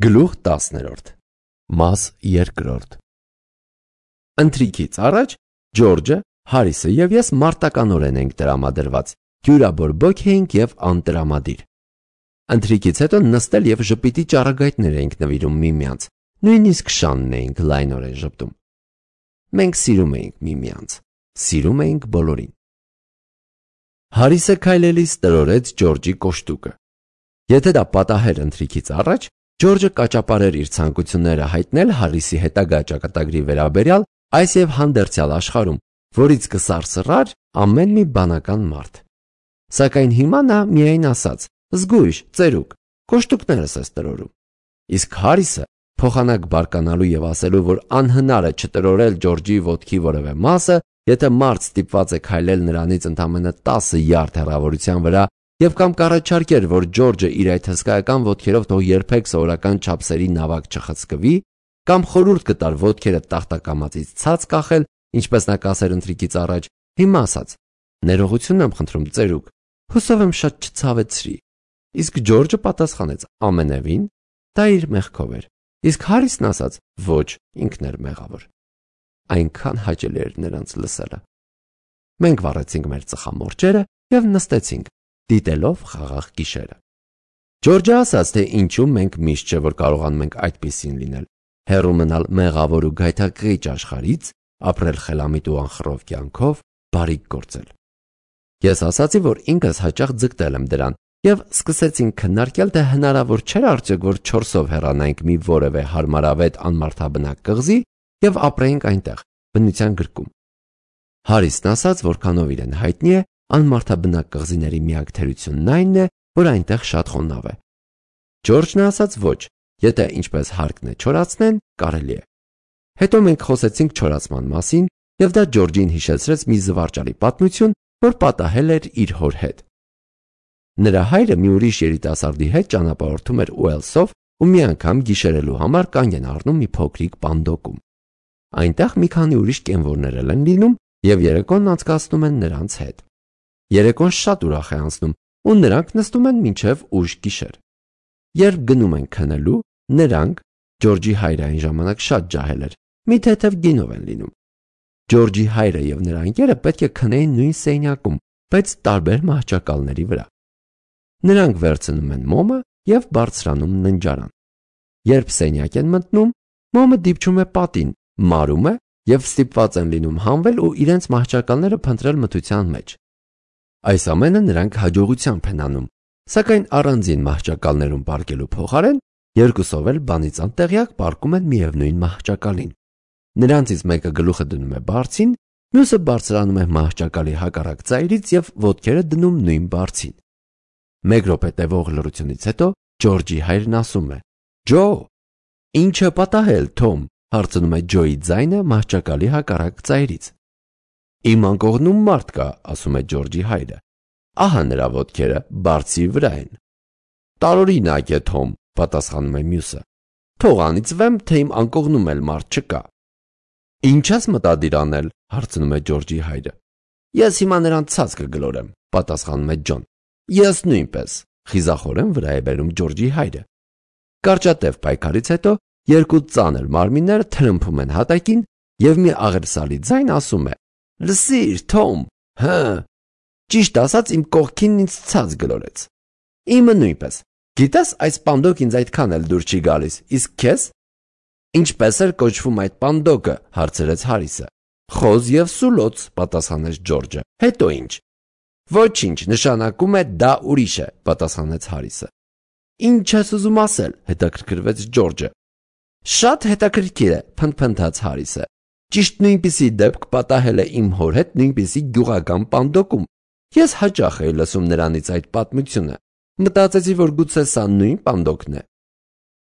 Գլուխ 10 Մաս 2 Ընթրիքից առաջ Ջորջը, Հարիսը և ես մարտականորեն ենք տրամադրված, յուրաբորբոք էինք և անտրամադիր։ Ընթրիքից հետո նստել և ժպիտի ճառագայթներ էինք նվիրում միմյանց, նույնիսկ շանն էինք լայնորեն ժպտում։ Մենք սիրում էինք միմյանց, սիրում էինք բոլորին։ Հարիսը քայլելիս տրորեց Ջորջի կոշտուկը։ Եթե դա պատահեր ընթրիքից առաջ, Ջորջը կաճապարեր իր ցանկությունները հայտնել Հարիսի հետագա ճակատագրի վերաբերյալ այս և հանդերձյալ աշխարհում, որից կսարսռար ամեն մի բանական մարդ։ Սակայն հիմա նա միայն ասաց. «Զգույշ, ծերուկ, կոշտուկներս ես տրորում»։ Իսկ Հարիսը, փոխանակ բարկանալու և ասելու, որ անհնար է չտրորել Ջորջի ոտքի որևէ մասը, եթե մարդ ստիպված է քայլել նրանից ընդամենը 10 յարդ հեռավորության վրա, և կամ կառաջարկեր, որ Ջորջը իր այդ հսկայական ոտքերով թող երբեք սովորական չափսերի նավակ չխցկվի, կամ խորհուրդ կտար ոտքերը տախտակամածից ցած կախել, ինչպես նա կասեր ընթրիքից առաջ, հիմա ասաց. «Ներողություն եմ խնդրում, ծերուկ, հուսով եմ շատ չցավեցրի»։ Իսկ Ջորջը պատասխանեց. «Ամենևին, դա իր մեղքով էր»։ Իսկ Հարիսն ասաց. «Ոչ, ինքն էր մեղավոր»։ Այնքան հաճելի էր նրանց լսելը։ Մենք վառեցինք մեր ծխամորճերը և նստեցինք, դիտելով խաղաղ գիշերը։ Ջորջը ասաց, թե ինչու մենք միշտ չէ որ կարողանում ենք այդպիսին լինել, հեռու մնալ մեղավոր ու գայթակղիչ աշխարհից, ապրել խելամիտ ու անխռով կյանքով, բարիք գործել։ Ես ասացի, որ ինքս հաճախ ձգտել եմ դրան, և սկսեցինք քննարկել, թե հնարավոր չէ արդյոք, որ 4-ով հեռանայինք մի որևէ հարմարավետ անմարդաբնակ կղզի և ապրեինք այնտեղ, բնության գրկում։ Հարիսն ասաց, որքանով իրեն հայտնի է, անմարդաբնակ կղզիների միակ թերությունն այնն է, որ այնտեղ շատ խոնավ է։ Ջորջն ասաց ոչ, եթե ինչպես հարկն է չորացնեն, կարելի է։ Հետո մենք խոսեցինք չորացման մասին, և դա Ջորջին հիշեցրեց մի զվարճալի պատմություն, որ պատահել էր իր հոր հետ։ Նրա հայրը մի ուրիշ երիտասարդի հետ ճանապարհորդում էր Ուելսով ու մի անգամ գիշերելու համար կանգ են առնում մի փոքրիկ պանդոկում։ Այնտեղ մի քանի ուրիշ կենվորներ են լինում և երեկոն անցկացնում են նրանց հետ։ Երեկոն շատ ուրախ է անցնում ու նրանք նստում են մինչև ուշ գիշեր։ Երբ գնում են քնելու, նրանք, Ջորջի հայրը այն ժամանակ շատ ջահել էր, մի թեթև գինով են լինում։ Ջորջի հայրը և նրա ընկերը պետք է քնեին նույն սենյակում, բայց տարբեր մահճակալների վրա։ Նրանք վերցնում են մոմը և բարձրանում ննջարան։ Երբ սենյակ են մտնում, մոմը դիպչում է պատին, մարում է և ստիպված են լինում հանվել ու իրենց մահճակալները փնտրել մթության մեջ։ Այս ամենը նրանք հաջողությամբ են անում, սակայն առանձին մահճակալներում պառկելու փոխարեն երկուսով էլ բանից անտեղյակ պառկում են միևնույն մահճակալին։ Նրանցից մեկը գլուխը դնում է բարձին, մյուսը բարձրանում է մահճակալի հակառակ ծայրից և ոտքերը դնում նույն բարձին։ Մեկ րոպե տևող լռությունից հետո Ջորջի հայրն ասում է. «Ջո, ի՞նչ է պատահել, Թոմ», հարցնում է Ջոյի ձայնը մահճակալի հակառակ ծայրից։ «Իմ անկողնում մարդ կա», ասում է Ջորջի հայրը։ «Ահա նրա ոտքերը բարձի վրա են»։ «Տարօրինակ է, Թոմ», պատասխանում է մյուսը։ «Թող անիծվեմ, թե իմ անկողնում էլ մարդ չկա»։ «Ինչ ես մտադիր անել», հարցնում է Ջորջի հայրը։ «Ես հիմա նրան ցած կգլորեմ», պատասխանում է Ջոն։ «Ես նույնպես», խիզախորեն վրա է բերում Ջորջի հայրը։ Կարճատև պայքարից հետո երկու ծանր մարմիններ թրմփում են հատակին և մի աղերսալի ձայն ասում է. «Լսիր, Թոմ, հը, ճիշտ ասած իմ կողքինն ինձ ցած գլորեց»։ «Իմը նույնպես, գիտես այս պանդոկ ինձ այդքան էլ դուր չի գալիս, իսկ քեզ»։ «Ինչպես էր կոչվում այդ պանդոկը», հարցրեց Հարիսը։ «Խոզ և սուլոց», պատասխանեց Ջորջը։ «Հետո ինչ»։ «Ոչինչ, նշանակում է դա ուրիշ է», պատասխանեց Հարիսը։ «Ինչ ես ուզում ասել», հետաքրքրվեց Ջորջը։ «Շատ հետաքրքիր է», փնթփնթաց Հարիսը։ «Ճիշտ նույնպիսի դեպք պատահել է իմ հոր հետ նույնպիսի գյուղական պանդոկում։ Ես հաճախ էի լսում նրանից այդ պատմությունը։ Մտածեցի, որ գուցե սա նույն պանդոկն է»։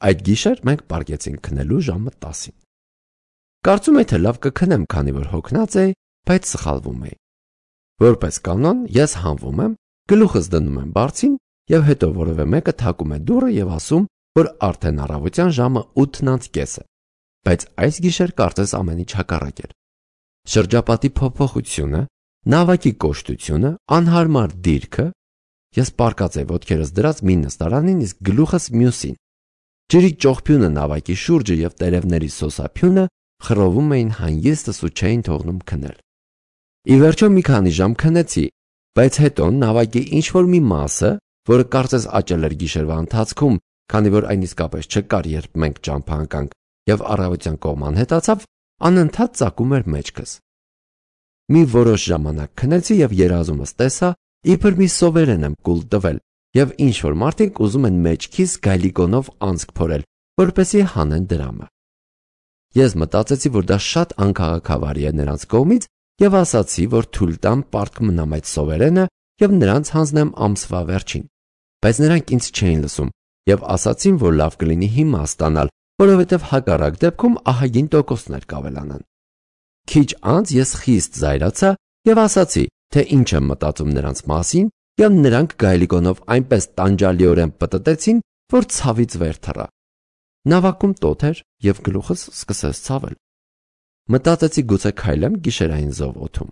Այդ գիշեր մենք պառկեցինք քնելու ժամը 10-ին։ Կարծում էի, թե լավ կքնեմ, քանի որ հոգնած էի, բայց սխալվում էի։ Որպես կանոն, ես հանվում եմ, գլուխս դնում եմ բարձին և հետո որևէ մեկը թակում է դուռը և ասում, որ արդեն առավոտյան ժամը 8:30 է։ Բայց այս գիշեր կարծես ամեն ինչ հակառակ էր։ Շրջապատի փոփոխությունը, նավակի կոշտությունը, անհարմար դիրքը։ Ես պառկած էի ոտքերս դրած մի նստարանին, իսկ գլուխս մյուսին։ Ջրի ճողփյունը նավակի շուրջը եւ տերևների սոսափյունը խռովում էին հանգիստս ու չէին թողնում քնել։ Ի վերջո մի քանի ժամ քնեցի, բայց հետո նավակի ինչ-որ մի մասը, որը կարծես աճել էր գիշերվա ընթացքում, քանի որ այն իսկապես չկար, երբ մենք ճամփա ընկանք, եւ առավոտյան կողման հետացավ, անընդհատ ծակում էր մեջքս։ Մի որոշ ժամանակ քնեցի եւ երազումս տեսա, իբր մի սովերեն եմ կուլ տվել, եւ ինչ-որ մարդիկ ուզում են մեջքիս գայլիկոնով անցք փորել, որպեսզի հանեն դրամը։ Ես մտածեցի, որ դա շատ անքաղաքավարի է նրանց կողմից եւ ասացի, որ թույլ տամ պարտք մնամ այդ սովերենը եւ նրանց հանձնեմ ամսվա վերջին, բայց նրանք ինձ չէին լսում եւ ասացին, որ լավ կլինի հիմա ստանալ, որովհետեւ հակառակ դեպքում ահագին տոկոսներ կավելանան։ Քիչ անց ես խիստ զայրացա եւ ասացի, թե ինչ եմ մտածում նրանց մասին, եւ նրանք գայլիկոնով այնպես տանջալիորեն պտտեցին, որ ցավից վեր թռա։ Նավակում տոթ էր եւ գլուխս սկսեց ցավել։ Մտածեցի գուցե քայլեմ գիշերային զով օդում։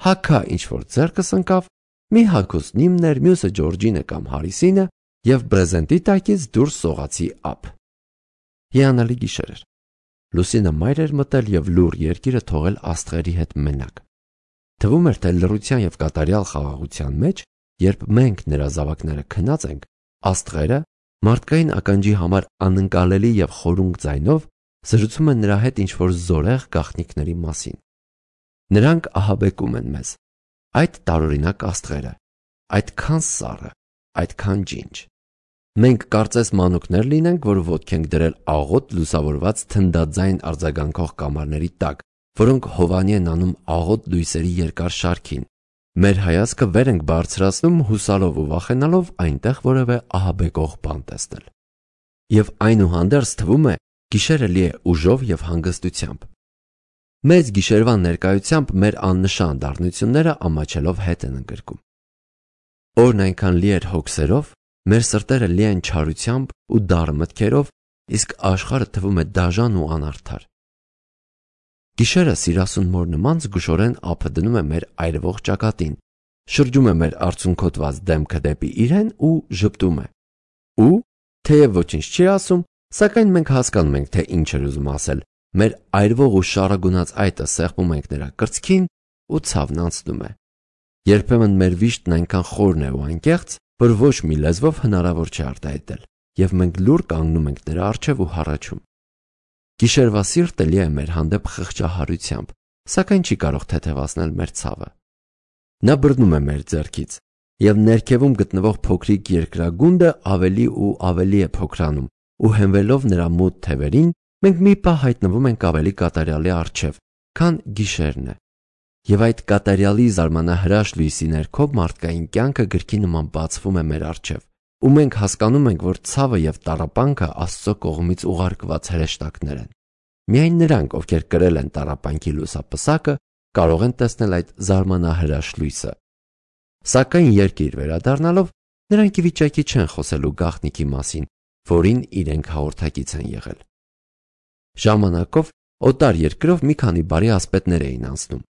Հակա ինչ-որ ձեռքս ընկավ, մի հագուստ նիմն էր, մյուսը Ջորջինը կամ Հարիսինը եւ բրեզենտի տակից դուրս սողացի ափ։ Հիանալի գիշեր էր։ Լուսինը մայր էր մտել եւ լուր երկիրը թողել աստղերի հետ մենակ։ Թվում էր, թե լռության եւ կատարյալ խաղաղության մեջ, երբ մենք նրա զավակները քնած ենք, աստղերը մարդկային ականջի համար անընկալելի եւ խորունկ ձայնով զրուցում են նրա հետ ինչ-որ զորեղ գաղտնիքների մասին։ Նրանք ահաբեկում են մեզ։ Այդ տարօրինակ աստղերը, այդքան սառը, այդքան ջինջ։ Մենք կարծես մանուկներ լինենք, որ ոտք ենք դրել աղոտ լուսավորված թնդաձայն արձագանքող կամարների տակ, որոնք հովանի են անում աղոտ լույսերի երկար շարքին։ Մեր հայացքը վեր ենք բարձրացնում հուսալով ու վախենալով այնտեղ որևէ ահաբեկող բան տեսնել։ Եվ այնուհանդերձ թվում է, գիշերը լի է ուժով եւ հանգստությամբ։ Մեծ գիշերվա ներկայությամբ մեր աննշան դառնությունները ամաչելով հետ են ընկրկում։ Օրն այնքան լի էր հոգսերով, մեր սրտերը լի են չարությամբ ու դառ մտքերով, իսկ աշխարհը թվում է դաժան ու անարդար։ Գիշերը սիրասուն մոր նման զգուշորեն ափը դնում է մեր այրվող ճակատին, շրջում է մեր արցունքոտված դեմքը դեպի իրեն ու ժպտում է։ Ու թեև ոչինչ չի ասում, սակայն մենք հասկանում ենք, թե ինչ էր ուզում ասել։ Մեր այրվող ու շարագունած այտը սեղմում ենք նրա կրծքին ու ցավն անցնում է։ Երբեմն մեր վիշտն այնքան խորն է ու անկեղծ, որ ոչ մի լեզվով հնարավոր չէ արտահայտել, եւ մենք լուր կանգնում ենք նրա առջև ու հառաչում։ Գիշերվա սիրտը լի է մեր հանդեպ խղճահարությամբ, սակայն չի կարող թեթևացնել մեր ցավը։ Նա բռնում է մեր ձեռքից, եւ ներքևում գտնվող փոքրիկ երկրագունդը ավելի ու ավելի է փոքրանում, ու հենվելով նրա մութ թևերին, մենք մի պահ հայտնվում ենք ավելի կատարյալի առջև, քան գիշերն է։ Եվ այդ կատարյալի զարմանահրաշ լույսի ներքո մարդկային կյանքը գրքի նման բացվում է մեր առջև, ու մենք հասկանում ենք, որ ցավը եւ տառապանքը Աստծո կողմից ուղարկված հրեշտակներ են։ Միայն նրանք, ովքեր կրել են տառապանքի լուսապսակը, կարող են տեսնել այդ զարմանահրաշ լույսը։ Սակայն երկիր վերադառնալով, նրանք ի վիճակի չեն խոսելու գաղտնիքի մասին, որին իրենք հաղորդակից են եղել։ Ժամանակով օտար երկրով մի քանի բարի ասպետներ էին անցնում։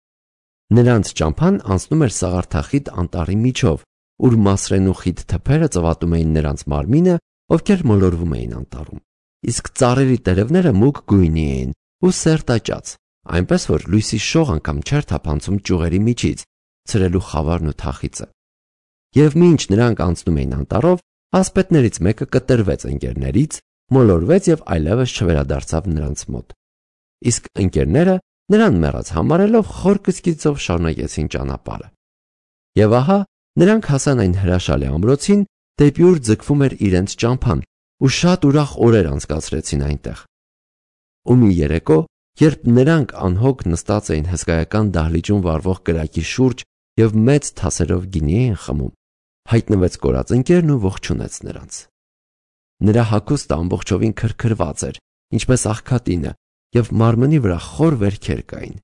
Նրանց ճամփան անցնում էր սաղարթախիտ անտառի միջով, ուր մասրենու խիտ թփերը ծվատում էին նրանց մարմինը, ովքեր մոլորվում էին անտառում։ Իսկ ծառերի տերևները մուգ գույնի էին ու սերտաճած, այնպես որ լույսի շող անգամ չէր թափանցում ճյուղերի միջից, ցրելու խավարն ու թախիծը։ Եվ մինչ նրանք անցնում էին անտառով, ասպետներից մեկը կտրվեց ընկերներից, մոլորվեց եւ այլևս չվերադարձավ նրանց մոտ։ Իսկ ընկերները նրան մեռած համարելով խոր կսկիծով շարունակեցին ճանապարհը։ Եվ ահա նրանք հասան այն հրաշալի ամրոցին, դեպի ուր ձգվում էր իրենց ճամփան, ու շատ ուրախ օրեր անցկացրեցին այնտեղ։ Ու մի երեկո, երբ նրանք անհոգ նստած էին հսկայական դահլիճում վառվող կրակի շուրջ եւ մեծ թասերով գինի էին խմում, հայտնվեց կորած ընկերն ու ողջունեց նրանց։ Նրա հագուստը ամբողջովին քրքրված էր, ինչպես աղքատինը, եւ մարմնի վրա խոր վերքեր կային,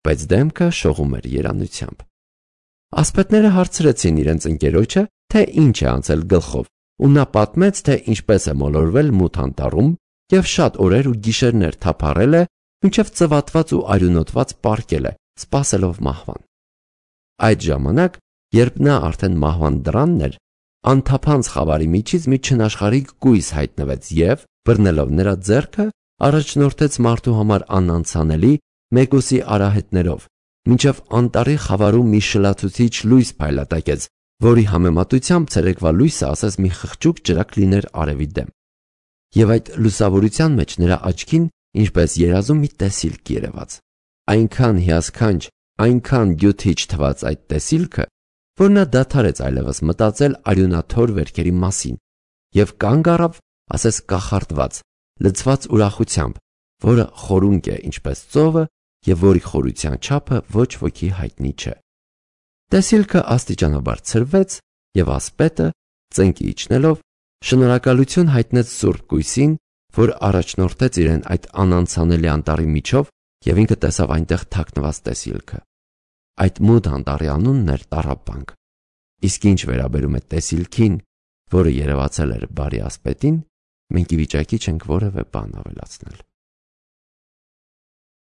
բայց դեմքը շողում էր երանությամբ։ Ասպետները հարցրեցին իրենց ընկերոջը, թե ինչ է անցել գլխով, ու նա պատմեց, թե ինչպես է մոլորվել մութ անտառում եւ շատ օրեր ու գիշերներ թափառել է, մինչև ծվատված ու արյունոտված պառկել է, սպասելով մահվան։ Այդ ժամանակ, երբ նա արդեն մահվան դռանն էր, անթափանց խավարի միջից մի չնաշխարհիկ կույս հայտնվեց եւ, բռնելով նրա ձեռքը, առաջնորդեց մարդու համար անանցանելի Մեգոսի արահետներով, մինչև անտառի խավարում մի շլացուցիչ լույս փայլատակեց, որի համեմատությամբ ցերեկվա լույսը ասես մի խղճուկ ճրակ լիներ արևի դեմ։ Եվ այդ լուսավորության մեջ նրա աչքին ինչպես երազում մի տեսիլք երևաց։ Այնքան հիասքանչ, այնքան գյութիչ թվաց այդ տեսիլքը, որ նա դադարեց այլևս մտածել արյունաթոր վերքերի մասին և կանգ առավ, ասես կախարդված, լցված ուրախությամբ, որը խորունկ է ինչպես ծովը և որի խորության չափը ոչ ոքի հայտնի չէ։ Տեսիլքը աստիճանաբար ցրվեց և ասպետը, ծնկի իջնելով, շնորհակալություն հայտնեց Սուրբ Կույսին, որ առաջնորդեց իրեն այդ անանցանելի անտառի միջով և ինքը տեսավ այնտեղ թաքնված տեսիլքը։ Այդ մութ անտառի անունն էր Տառապանք։ Իսկ ինչ վերաբերում է տեսիլքին, որը երևացել էր բարի ասպետին, մենք ի վիճակի չենք որևէ բան ավելացնել։